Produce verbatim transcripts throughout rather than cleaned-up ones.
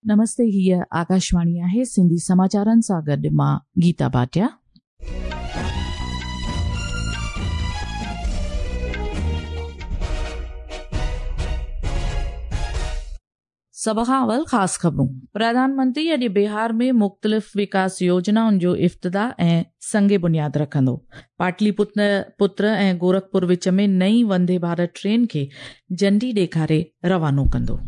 नमस्ते, हीअ आकाशवाणी आहे। सिंधी समाचारनि सां गॾु मां गीता भाटिया। सभ खां अवल ख़ासि ख़बरूं। प्रधानमंत्री अॼु बिहार में मुख़्तलिफ़ विकास योजनाउनि जो इफ़्तिताह ऐं संग बुनियाद रखंदो। पाटलीपुत्र पुत्र ऐं गोरखपुर विच में नई वंदे भारत ट्रेन खे झंडी ॾेखारे रवानो कंदो।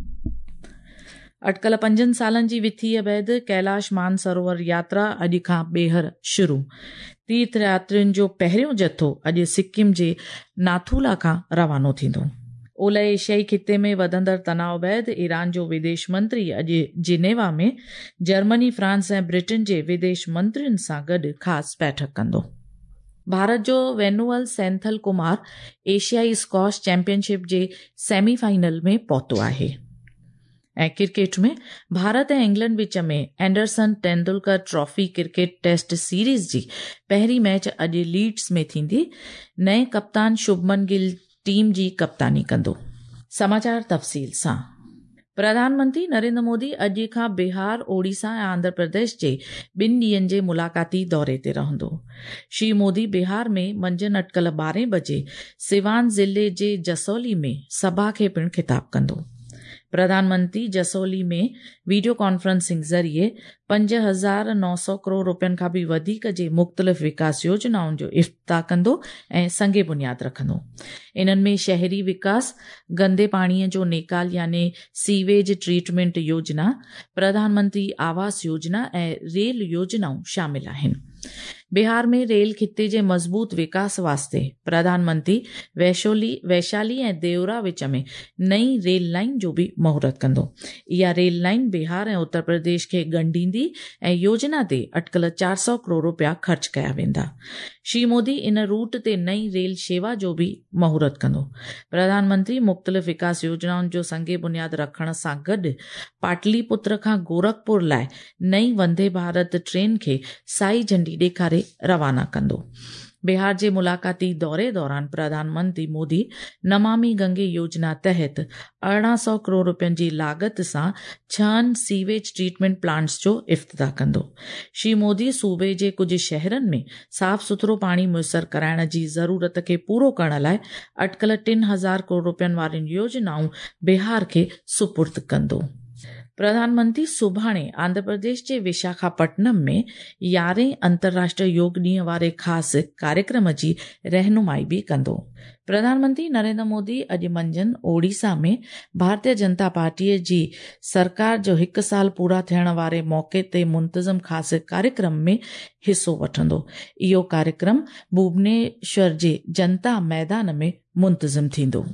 अटकल पंजनि सालनि जी विथीअ बाद कैलाश मानसरोवर यात्रा अॼु खां ॿीहर शुरू। तीर्थ यात्रियुनि जो पहिरियों जथो अॼु सिक्किम जे नाथूला खां रवानो थींदो। ओलह एशियाई खिते में वधंदड़ तनाव बाद ईरान जो विदेश मंत्री अॼु जिनेवा में जर्मनी, फ्रांस ऐं ब्रिटेन जे विदेश मंत्रियुनि सां गॾु ख़ासि बैठक कंदो। भारत जो वेनुअल सैंथल कुमार एशियाई स्कॉश चैंपियनशिप जे सेमीफाइनल में पहुतो आहे। ऐं क्रिकेट में भारत ऐं इंग्लैंड विच में Anderson Tendulkar trophy cricket test series जी पहिरीं मैच अॼु लीड्स में थींदी। नए कप्तान शुभमन गिल टीम जी कप्तानी कंदो। समाचार तफ़सील सां। प्रधानमंत्री नरेंद्र मोदी अॼु खां बिहार, ओडिशा ऐं आंध्र प्रदेश जे ॿिनि ॾींहंनि जे मुलाक़ाती दौरे ते रहंदो। श्री मोदी बिहार में मंझंदि अटकल ॿारहें बजे सिवान ज़िले जे जसौली में सभा खे पिणु ख़िताब कंदो। प्रधानमंत्री जसौली में वीडियो कॉन्फ्रेंसिंग ज़रिए पंज हज़ार नौ सौ करोड़ रुपयनि खां बि वधीक जे मुख़्तलिफ़ विकास योजनाउनि जो इफ़्तिताह कंदो ऐं संग बुनियाद रखंदो। इन्हनि में शहरी विकास, गंदे पाणीअ जो निकाल यानी सीवेज ट्रीटमेंट योजना, प्रधानमंत्री आवास योजना ऐं रेल योजनाऊं शामिल आहिनि। बिहार में रेल खिते जे मज़बूत विकास वास्ते प्रधानमंत्री वैशोली वैशाली ऐं देवरा विच में नई रेल लाइन जो बि मुहूर्त कंदो। इहा रेल लाइन बिहार ऐं उत्तर प्रदेश खे ॻंढींदी ऐं योजना ते अटकल चारि सौ करोड़ रुपया ख़र्च कया वेंदा। श्री मोदी इन रूट ते नई रेल शेवा जो बि मुहूर्त कंदो। प्रधानमंत्री मुख़्तलिफ़ विकास योजनाउनि जो संग बुनियाद रखण सां गॾु पाटलीपुत्र खां गोरखपुर लाइ नई वंदे भारत ट्रेन खे साई झंडी ॾेखारे रवाना कंदो। बिहार जे मुलाक़ाती दौरे दौरान प्रधानमंत्री मोदी नमामि गंगे योजना तहत अरिड़हं सौ करोड़ रुपयनि जी लागत सां छहनि सीवेज ट्रीटमेंट प्लांट्स जो इफ़्तिताह कंदो। श्री मोदी सूबे जे कुझु शहरनि में साफ़ सुथरो पाणी मुयसर कराइण जी ज़रूरत खे पूरो करण लाइ अटकल टिनि हज़ार करोड़ रुपयनि वारियुनि योजनाऊं बिहार खे सुपुर्द कंदो। प्रधानमंत्री सुभाणे आंध्र प्रदेश जे विशाखापट्टनम में यारहें अंतर्राष्ट्रीय योग ॾींहं वारे ख़ासि कार्यक्रम जी रहनुमाई बि कंदो। प्रधानमंत्री नरेंद्र मोदी अॼु मंझंदि ओडिशा में भारतीय जनता पार्टीअ जी सरकार जो हिकु साल पूरा थियण वारे मौक़े ते मुंतज़िम ख़ासि कार्यक्रम में हिसो वठंदो। इहो कार्यक्रम भुवनेश्वर जे जनता मैदान में मुंतज़िम थींदो।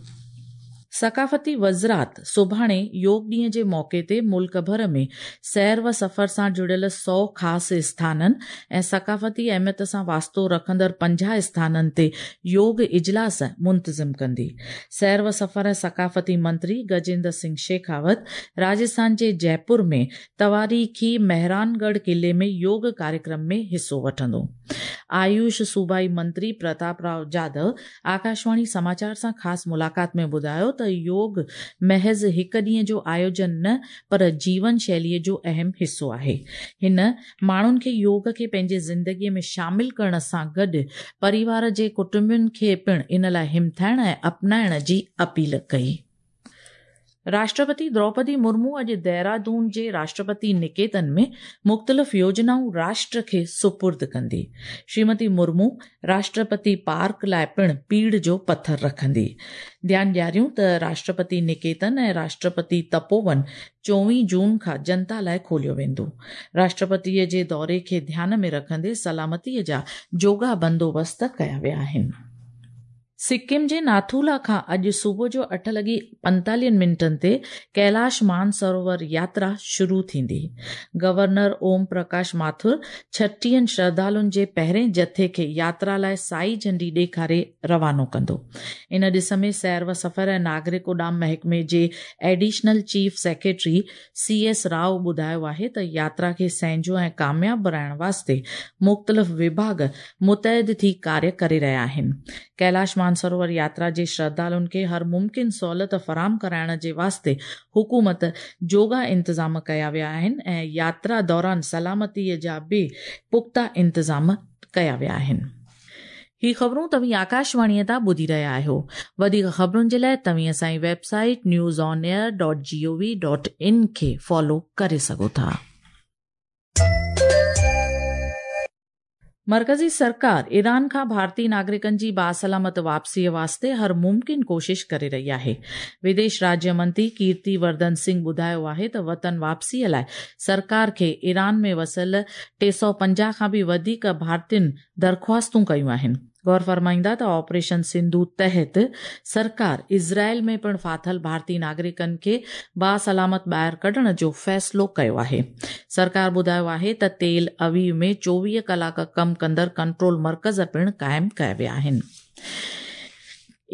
सकाफ़ती वज़रात सुभाणे योग ॾींहं जे मौक़े ते मुल्क भर में सैर व सफ़र सां जुड़ियल सौ ख़ासि स्थाननि ऐं सकाफ़ती अहमियत सां वास्तो रखंदड़ पंजाह स्थाननि ते योग इजलास मुंतज़िम कंदी। सैर व सफ़र ऐं सकाफ़ती मंत्री गजेंद्र सिंह शेखावत राजस्थान जे जयपुर में तवारीख़ी मेहरानगढ़ क़िले में योग कार्यक्रम में हिसो वठंदो। आयुष सूबाई मंत्री प्रताप राव जाधव आकाशवाणी समाचार सां ख़ासि मुलाक़ात में ॿुधायो त योग महज़ हिकु ॾींहं जो आयोजन न पर जीवन शैलीअ जो अहम हिसो आहे। हिन माण्हुनि खे योग खे पंहिंजी ज़िंदगीअ में शामिल करण सां गॾु परिवार जे कुटुंबियुनि खे पिणु इन लाइ हिमथाइण ऐं अपनाइण जी अपील कई। राष्ट्रपति द्रौपदी मुर्मू अॼु देहरादून जे राष्ट्रपति निकेतन में मुख़्तलिफ़ योजनाऊं राष्ट्र खे सुपुर्द कंदी। श्रीमती मुर्मू राष्ट्रपति पार्क लाइ पिणु पीड़ जो पथर रखंदी। ध्यानु ॾियारियूं त राष्ट्रपति निकेतन ऐं राष्ट्रपति तपोवन चोवीह जून खां जनता लाइ खोलियो वेंदो। राष्ट्रपतीअ जे दौरे खे ध्यान में रखंदे सलामतीअ जा जोगा बंदोबस्त कया विया आहिनि। सिक्किम जे नाथूला खां अॼु सुबुह जो अठ लॻी पंतालीहनि मिंटनि ते कैलाश मानसरोवर यात्रा शुरू थींदी। गवर्नर ओम प्रकाश माथुर छटीहनि श्रद्धालुनि जे पहिरें जथे खे यात्रा लाइ साई झंडी ॾेखारे रवानो कंदो। इन ॾिस में सैर व सफ़र ऐं नागरिक उॾाम महकमे जे additional chief secretary C S Rao ॿुधायो आहे त यात्रा खे सहजो ऐं कामयाब बणाइण वास्ते मुख़्तलिफ़ विभाग मुतहद थी कार्य करे रहिया आहिनि। कैलाश مانسروور ياترا جي شرڌالن کي هر ممڪن سهولت فراهم ڪرائڻ جي واسطي حڪومت جوڳا انتظام ڪيا ويا آهن ۽ ياترا دوران سلامتيء جا به پختا انتظام ڪيا ويا آهن. هي خبرون توهين آڪاشواڻيء تان ٻڌي رهيا آهيو. وڌيڪ خبرن جي لاء توهين اسان جي website news on air dot G O V dot in کي فالو ڪري سگهو ٿا. مرڪزي سرڪار ايران کان ڀارتي ناگرڪن جي باسلامت واپسيء واسطي هر ممڪن ڪوشش ڪري رهي آهي. وديش راجيه منتري ڪيرتي ورڌن سنگهه ٻڌايو آهي ته وطن واپسيء لاء سرڪار کي ايران ۾ وسيل ٽي سؤ پنجاهه کان به وڌيڪ ڀارتين درخواستون ڪيون آهن. غور فرمائيندا ته آپريشن سنڌو تحت سرڪار اسرائيل ۾ پڻ ڦاٿل ڀارتي ناگرڪن کي باسلامت ٻاهر ڪڍڻ جو فيصلو ڪيو آهي. سرڪار ٻڌايو آهي ته تيل اويو ۾ چوويهه ڪلاڪ ڪم ڪندڙ ڪنٽرول مرڪز پڻ قائم ڪيا ويا آهن.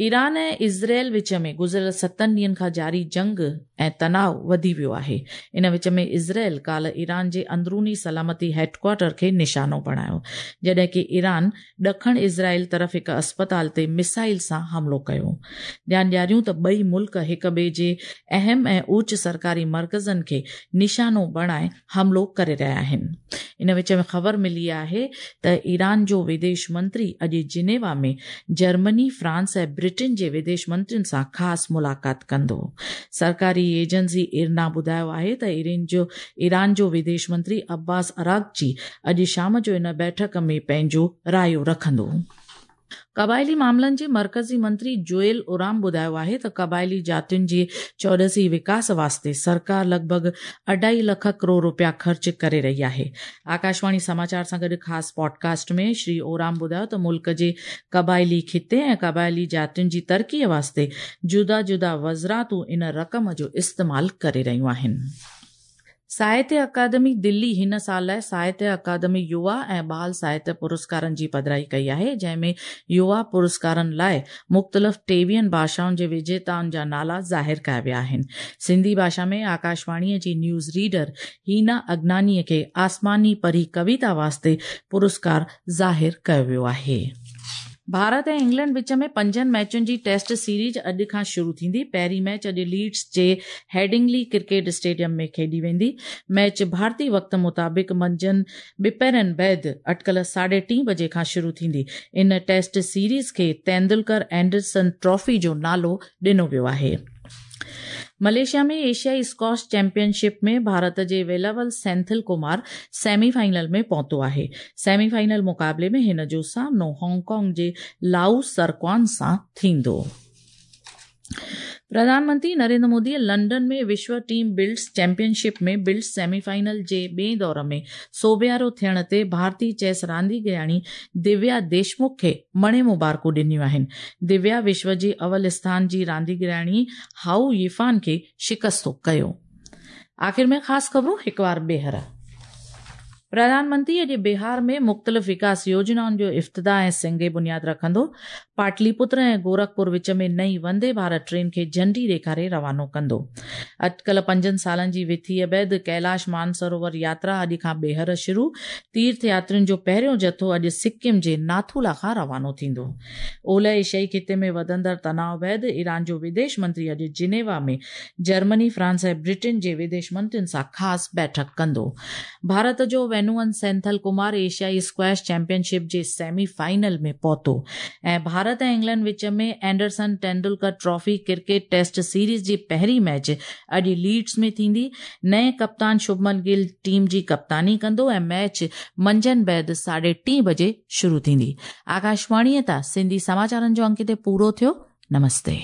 ايران ۽ اسرائيل وچ ۾ گذريل ستن ڏينهن کان جاري جنگ ۽ تناء وڌي ويو آهي. ان وچ ۾ اسرائيل ڪالهه ايران جي اندروني سلامتي هيڊڪوارٽر کي نشانو بڻايو، جڏهن ڪه ايران ڏکڻ اسرائيل طرف هڪ اسپتال تي ميسائل سان حملو ڪيو. ڌيان ڏياريون ته ٻئي ملڪ هڪ ٻئي جي اهم ۽ اوچ سرڪاري مرڪزن کي نشانو بڻائي حملو ڪري رهيا آهن. ان وچ ۾ خبر ملي آهي ته ايران جو وديش منتري اڄ جنيوا ۾ جرمني، فرانس ۽ برٽن جي وديش منترين سان خاص ملاقات ڪندو. سرڪاري ايجنسي ارنا ٻڌايو آهي ته ايران جو وديش منتري عباس عراقچي اڄ شام جو ان بيٺڪ ۾ پنهنجو رايو رکندو. قبائلي معاملن جي مرڪزي منتري جوئل اورام ٻڌايو آهي ته قبائلي جاتين جي چوڏسي وڪاس واسطي سرڪار لڳ ڀڳ اڍائي لک ڪروڙ رپيا خرچ ڪري رهي آهي. آڪاشواڻي سماچار سان گڏ خاص پوڊڪاسٽ ۾ شري اورام ٻڌايو ته ملڪ جي قبائلي خطي ۽ قبائلي جاتين جي ترقي واسطي جدا جدا وزارتون ان رقم جو استعمال ڪري رهيون آهن. ساهتيه اڪادمي دلي هن سال لاء ساهتيه اڪادمي يووا ۽ ٻال ساهتيه پرسڪارن جي پڌرائي ڪئي آهي، جنهن ۾ يووا پرسڪارن لاء مختلف ٽيويهن ڀاشائن جي وجيتائن جا نالا ظاهر ڪيا ويا آهن. سنڌي ڀاشا ۾ آڪاشواڻيء جي نيوز ريڊر هينا اگنانيء کي آسماني پري ڪويتا واسطي پرسڪار ظاهر ڪيو ويو آهي. ڀارت ۽ انگلينڊ وچ ۾ پنجن ميچن جي ٽيسٽ سيريز اڄ کان شروع ٿيندي. پهرين ميچ اڄ ليڊز جي هيڊنگلي ڪرڪيٽ اسٽيڊيم ۾ کيڏي ويندي. ميچ ڀارتي وقت مطابق منجهند ٻپهرن بعد اٽڪل ساڍي ٽين بجي کان شروع ٿيندي. ان ٽيسٽ سيريز کي تيندولڪر اينڊرسن ٽرافي جو نالو ڏنو ويو آهي. ملائيشيا ۾ ايشيائي اسڪواش چيمپيئن شپ ۾ ڀارت جي ويلاول سينٿل ڪمار سيمي فائنل ۾ پهتو آهي. سيمي فائنل مقابلي ۾ هن جو سامنو هانگ ڪانگ جي لائو سرڪوان سان ٿيندو. پرڌان منتري نريندر مودي لنڊن ۾ وشو team blitz championship ۾ blitz semi final جي ٻئي دور ۾ سوڀيارو ٿيڻ تي ڀارتي چيس رانديگرياڻي دويا ديشمک کي مڻي مبارڪون ڏنيون آهن. دويا وشو جي اول اسٿان جي رانديگرياڻي هائو يفان کي شڪستو ڪيو. آخر ۾ خاص خبرون هڪ وار ٻيهر. پرڌان منتري اڄ بهار ۾ مختلف وڪاس يوجنائن جو افتتاح ۽ سنگ بنياد رکندو. پاٽلي پتر ۽ گورکپور وچ ۾ نئين وندي ڀارت ٽرين کي جهنڊي ڏيکاري روانو ڪندو. اٽڪل پنجن سالن جي وٿيء بعد ڪيلاش مانسروور ياترا اڄ کان ٻيهر شروع. تيرٿ ياترين جو پهريون جٿو اڄ سڪم جي ناٿولا کان روانو ٿيندو. اولهه ايشيائي خطي ۾ وڌندڙ تناء بعد ايران جو وديش منتري اڄ جنيوا ۾ جرمني، فرانس ۽ برٽن جي وديش منترين سان خاص بيٺڪ ڪندو. ڀارت جو وينوئن سينٿل ڪمار ايشيائي اسڪواش چيمپيئن شپ جي سيمي فائنل ۾ پهتو ۽ ڀارت ۽ انگلينڊ وچ ۾ Anderson Tendulkar trophy cricket test series جي پهرين ميچ اڄ ليڊز ۾ ٿيندي. نئين ڪپتان شڀمن گل ٽيم جي ڪپتاني ڪندو ۽ ميچ منجهند بعد ساڍي ٽين بجي شروع ٿيندي. آڪاشواڻيء تان سنڌي سماچارن جو انڪ هتي پورو ٿيو. نمستي.